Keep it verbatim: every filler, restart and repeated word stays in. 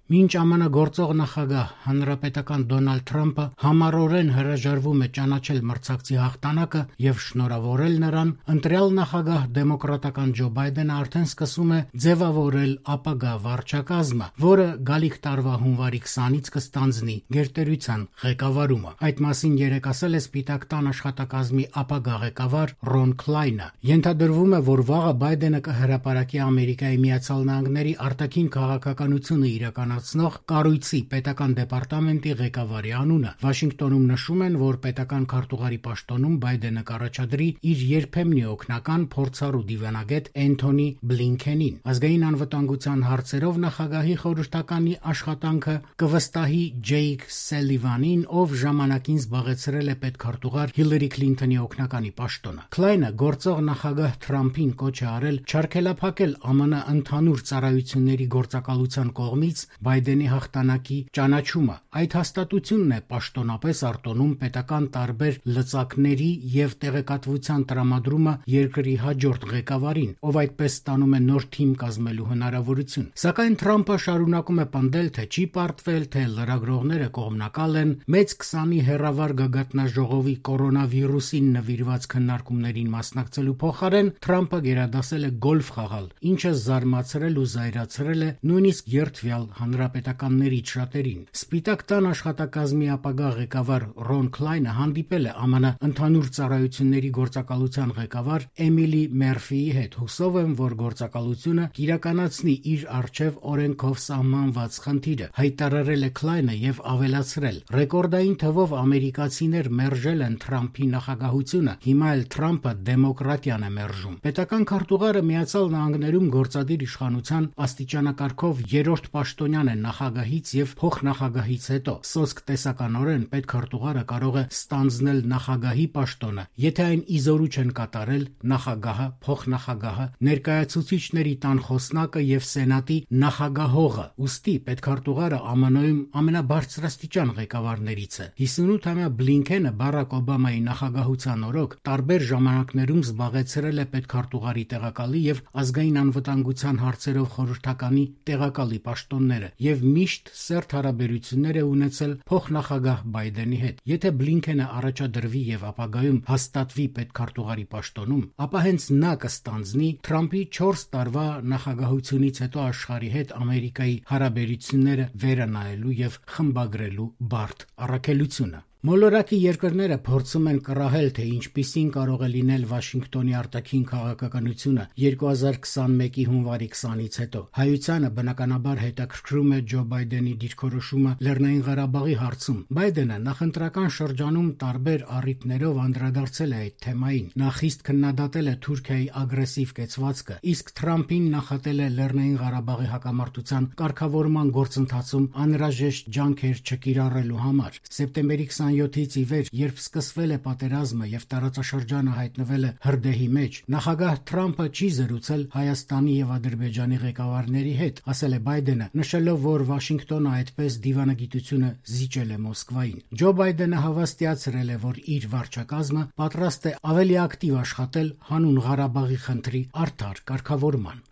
Մինչ ԱՄՆ գործող նախագահ հանրապետական Դոնալդ Թրամփը համառորեն հրաժարվում է ճանաչել մրցակցի հաղթանակը եւ շնորհավորել նրան, ընտրյալ նախագահ դեմոկրատական Ջո Բայդենը արդեն սկսում է ձևավորել ապագա վարչակազմը, որը գալիք տարվա հունվարի քսանից կստանձնի գերտերության ղեկավարումը։ Այդ մասին երեկ ասել է Սպիտակ տան աշխատակազմի ապագա ղեկավար Ռոն Քլայնը։ Ենթադրվում է, որ վաղը Բայդենը կհրապարակի Ամերիկայի Միացյալ Նահանգների արտաքին քաղաքականությունը իրականացնող կառույցի պետական դեպարտամենտի ղեկավարի անունը։ Վաշինգտոնում նշում են, որ պետական քարտուղարի պաշտոնում Բայդենը կառաջադրի իր երբեմնի օգնական փորձառու դիվանագետ Էնթոնի Բլինքենին։ Ազգային անվտանգության հարցերով նախագահի խորհրդականի աշխատանքը կվստահի Ջեյք Սելիվանին, ով ժամանակին զբաղեցրել է պետքարտուղար Հիլարի Քլինթոնի օգնականի պաշտոնը։ Քլայնը գործող նախագահ Թրամփին կոչ է արել չարգելափակել ԱՄՆ ընդհանուր ծառայությունների գործակալության կողմից Բայդենի հաղթանակի ճանաչումը։ Այդ հաստատությունն է պաշտոնապես արտոնում պետական տարբեր լծակների եւ տեղեկատվության տրամադրումը երկրի հաջորդ ղեկավարին, ով այդպես ստանում է նոր թիմ կազմելու հնարավորություն։ Սակայն Թրամփը շարունակում է պնդել, թե չի պարտվել, թե լրագրողները կողմնակալ են։ Մեծ քսանի հեռավար գագաթնաժողովի կորոնավիրուսին նվիրված քննարկումներին մասնակցելու փոխարեն Թրամփը գերադասել է գոլֆ խաղալ, ինչը զարմացրել ու զայրացրել է նույնիսկ երդվյալ հանրապետականներից շատերին։ Սպիտակ տան աշխատակազմի ապագա ղեկավար Ռոն Քլայնը հանդիպել է ԱՄՆ ընդհանուր ծառայությունների գործակալության ղեկավար Էմիլի Մերֆիի հետ, հուսով եմ, որ գործակալությունը կիրականացնի իր առջև օրենքով սահմանված խնդիրը, հայտարարել է Քլայնը եւ ավելացրել. ռեկորդային թվով ամերիկացիներ մերժել են Թրամփի նախագահությունը, հիմա էլ Թրամփը դեմոկրատիան է մերժում։ Պետական քարտուղարը Միացյալ Նահանգներում գործադիր իշխանության աստիճանակարգով երրորդ պաշտոնյան է նախագահից եւ փոխնախագահից հետո։ Սոսկ տեսականորեն պետքարտուղարը կարող է ստանձնել նախագահի պաշտոնը, եթե այն իզորու չեն կատարել նախագահը, փոխնախագահը, ներկայացուցիչների տան խոսնակը եւ սենատի նախագահողը։ Ուստի պետքարտուղարը ԱՄՆ-ում ամենաբարձրաստիճան ղեկավարներից է։ հիսունութամյա Բլինքենը Բարակ Օբամայի նախագահության օրոք տարբեր ժամանակներում զբաղեցրել է պետքարտուղարի տեղակալի եւ ազգային անվտանգության հարցերով խորհրդականի տեղակալի պաշտոնները եւ միշտ սերտ հարաբերություններ է ունեցել փոխնախագահ Բայդենի հետ։ Եթե Բլինքենը առաջադրվի եւ ապագայում հաստատվի պետքարտուղարի պաշտոնում, ապա հենց նա կստանձնի Թրամփի չորս տարվա նախագահությունից հետո աշխարհի հետ Ամերիկայի հարաբերությունները վերանայելու եւ խմբագրելու բարդ առաքելությունը։ Մոլորակի երկրները փորձում են կռահել, թե ինչպիսին կարող է լինել Վաշինգտոնի արտաքին քաղաքականությունը երկու հազար քսանմեկի հունվարի քսանից հետո։ Հայությանը բնականաբար հետաքրքրում է Ջո Բայդենի դիրքորոշումը Լեռնային Ղարաբաղի հարցում։ Բայդենը նախընտրական շրջանում տարբեր առիթներով անդրադարձել է այդ թեմային։ Նա խիստ քննադատել է Թուրքիայի ագրեսիվ կեցվածքը, իսկ Թրամփին նախատել է Լեռնային Ղարաբաղի հակամարտության կարգավորման գործընթացում անհրաժեշտ ջանքեր չկիրառելու համար։ Սեպտեմբերի քսանյոթից ի վեր, երբ սկսվել է պատերազմը եւ տարածաշրջանը հայտնվել է հրդեհի մեջ, նախագահ Թրամփը չի զրուցել Հայաստանի եւ Ադրբեջանի ղեկավարների հետ, ասել է Բայդենը, նշելով, որ Վաշինգտոնը այդպես դիվանագիտությունը զիջել է Մոսկվային։ Ջո Բայդենը հավաստիացրել է, որ իր վարչակազմը պատրաստ է ավելի ակտիվ աշխատել հանուն Ղարաբաղի խնդրի արդար կարգավորման։